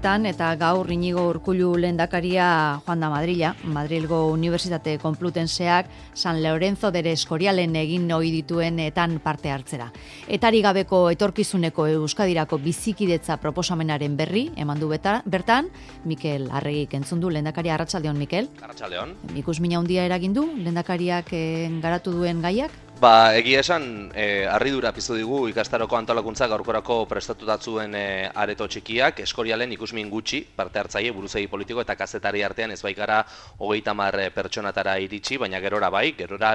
Eta gaur Iñigo Urkullu lehendakaria joan da Madrila. Madrilgo Unibertsitate Konplutenseak San Lorenzo de Escorialen egin ohi dituenetan parte hartzera. Etari gabeko etorkizuneko Euskadirako bizikidetza proposamenaren berri eman du bertan, Mikel Arregik entzun du lehendakaria. Arratsaldeon, Mikel. Arratsaldeon. Ikusmina handia eragin du lehendakariak garatu duen gaiak? Egia esan, harridura piztu digu ikastaroko antolakuntza gaurkorako prestatutatuen areto txikiak, Escorialen ikusmin gutxi, parte hartzaile, buruzegi politiko eta kazetari artean ez baikara 30 pertsonatara iritsi, baina gerora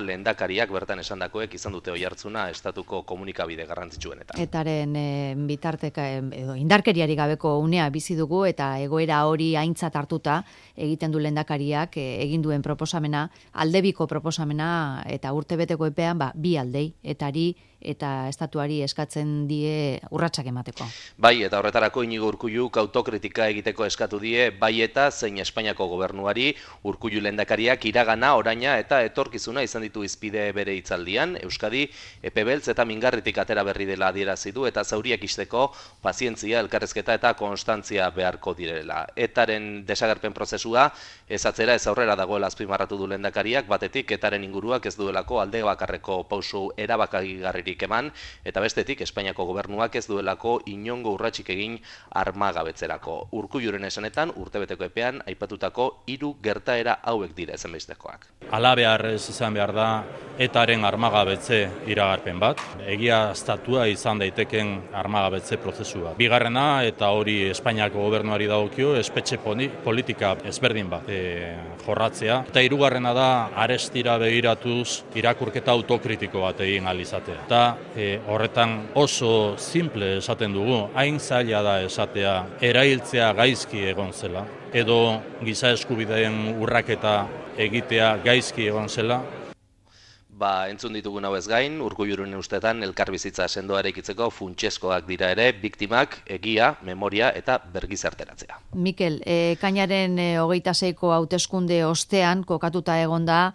lehendakariak bertan esandakoek izan dute oihartzuna estatuko komunikabide garrantzitsuenetan. Etaren bitarteka edo indarkeriari gabeko unea bizi dugu eta egoera hori aintzat hartuta egiten du lehendakariak egin duen proposamena, aldebiko proposamena eta urtebeteko epean bi aldei, etari eta estatuari eskatzen die urratsak emateko. Bai, eta horretarako Iñigo Urkulluk autokritika egiteko eskatu die bai eta zein Espainiako gobernuari. Urkullu lehendakariak iragana, oraina eta etorkizuna izan ditu hizpide bere hitzaldian. Euskadi epebeltz eta mingarritik atera berri dela adierazi du eta zauriak ixteko pazientzia, elkarrezketa eta konstantzia beharko direla. Etaren desagerpen prozesua ez atzera ez aurrera dagoela azpimarratu du lehendakariak, batetik etaren inguruak ez duelako alde bakarreko pauso erabakagarririk eman, eta bestetik Espainiako gobernuak ez duelako inongo urratsik egin armagabetzerako. Urkulluren esanetan urtebeteko epean aipatutako 3 gertaera hauek dira ezinbestekoak. Halabeharrez izan behar da etaren armagabetze iragarpen bat, egiaztatua izan daiteken armagabetze prozesua. Bigarrena, eta hori Espainiako gobernuari dagokio, espetxe politika ezberdin bat jorratzea. Eta hirugarrena da arestira begiratuz irakurketa autokritiko bat egin ahal izatea. Eta horretan oso simple esaten dugu, hain zaila da esatea erailtzea gaizki egon zela, edo giza eskubideen urraketa egitea gaizki egon zela. Entzun ditugun hau ez gain, Urkulluren ustetan elkarbizitza sendoa eraikitzeko funtsezkoak dira ere biktimak, egia, memoria eta bergizarteratzea. Mikel, ekainaren 26ko hauteskunde ostean kokatuta egonda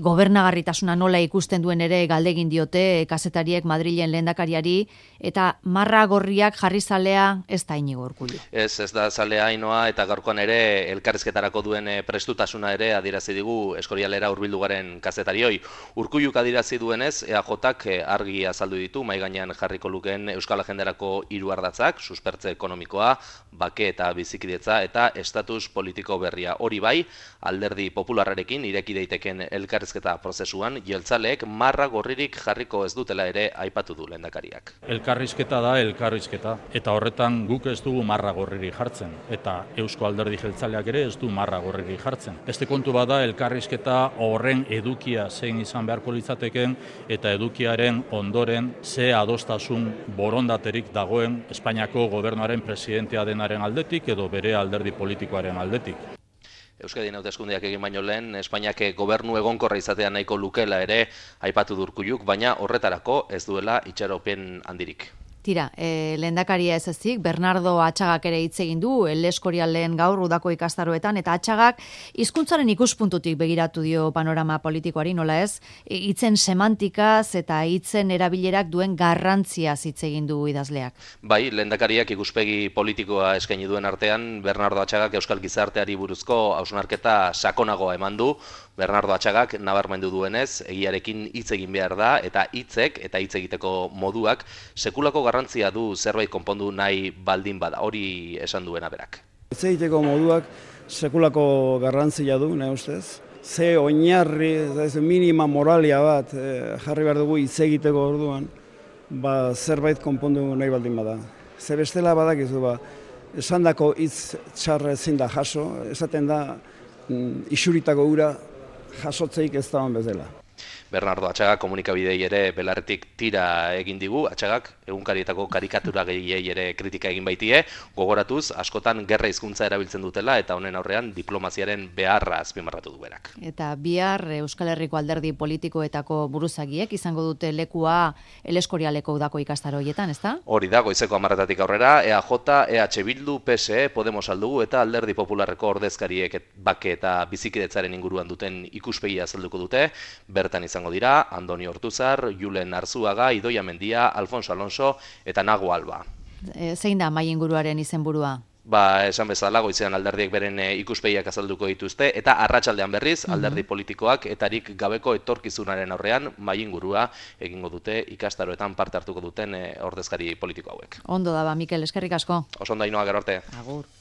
gobernagarritasuna nola ikusten duen ere galdegin diote kazetariek Madrilen lehendakariari, eta marra gorriak jarri zalea ez da Iñigo Urkullu. Ez da zalea Ainoa, eta gaurkoan ere elkarrizketarako duen prestutasuna ere adierazi digu Escorialera hurbildu garen kazetarioi. Urkulluk adierazi duenez, EAJak argi azaldu ditu mahai gainean jarriko lukeen Euskal Agendarako 3 ardatzak, suspertze ekonomikoa, bake eta bizikidetza eta estatus politiko berria. Hori bai, Alderdi Popularrarekin ireki daiteken elkarrizketa prozesuan jeltzaleek marra gorririk jarriko ez dutela ere aipatu du lehendakariak. Elkarrizketa da elkarrizketa, eta horretan guk ez dugu marra gorririk jartzen, eta Eusko Alderdi Jeltzaleak ere ez du marra gorririk jartzen. Beste kontu bada elkarrizketa horren edukia zein izan beharko litzateken eta edukiaren ondoren ze adostasun borondaterik dagoen Espainiako gobernuaren presidentea denaren aldetik edo bere alderdi politikoaren aldetik. Euskadin hauteskundeak egin baino lehen, Espainiak gobernu egonkorra izatea nahiko lukela ere aipatu du Urkulluk, baina horretarako ez duela itxaropen handirik. Tira, lehendakaria ez ezik, Bernardo Atxagak ere hitz egin du, Escorialen gaur udako ikastaroetan, eta Atxagak hizkuntzaren ikuspuntutik begiratu dio panorama politikoari, nola ez, hitzen semantikaz eta hitzen erabilerak duen garrantziaz hitz egin du idazleak. Bai, lehendakariak ikuspegi politikoa eskaini duen artean, Bernardo Atxagak euskal gizarteari buruzko hausnarketa sakonagoa eman du. Bernardo Atxagak nabarmendu duenez, egiarekin hitz egin behar da, eta hitzek eta hitz egiteko moduak sekulako garrantzia du zerbait konpondu nahi baldin bada, hori esan duena berak. Hitz egiteko moduak sekulako garrantzia du, nahi ustez. Ze oinarri, minima moralia bat jarri behar dugu hitz egiteko orduan, zerbait konpondu nahi baldin bada. Ze bestela badakizu, esandako hitz txarra ezin da jaso, esaten da isuritako ura jasotzeik ez dagoen bezala. Bernardo Atxagak komunikabidei ere belarretik tira egin digu, Atxagak egunkarietako karikatura gehiei ere kritika egin baitie, gogoratuz askotan gerra hizkuntza erabiltzen dutela eta honen aurrean diplomaziaren beharra azpimarratu du berak. Eta bihar Euskal Herriko alderdi politikoetako buruzagiek izango dute lekua Escorialeko udako ikastaro horietan, ezta? Hori da, goizeko 10:00 aurrera, EAJ, EH Bildu, PSE, Podemos aldugu eta Alderdi Popularreko ordezkariek bake eta bizikidetzaren inguruan duten ikuspegia azalduko dute, bertan izango dira Andoni Ortuzar, Julen Arzuaga, Idoia Mendia, Alfonso Alonso eta Nago Alba. Zein da mahai inguruaren izenburua? esan bezala, goizean alderdiek beren ikuspegiak azalduko dituzte, eta arratsaldean berriz, alderdi politikoak etarik gabeko etorkizunaren aurrean, mahaingurua egingo dute ikastaroetan parte hartuko duten ordezkari politiko hauek. Ondo daba, Mikel, eskerrik asko. Oso ondo, Ainhoa, gero arte. Agur.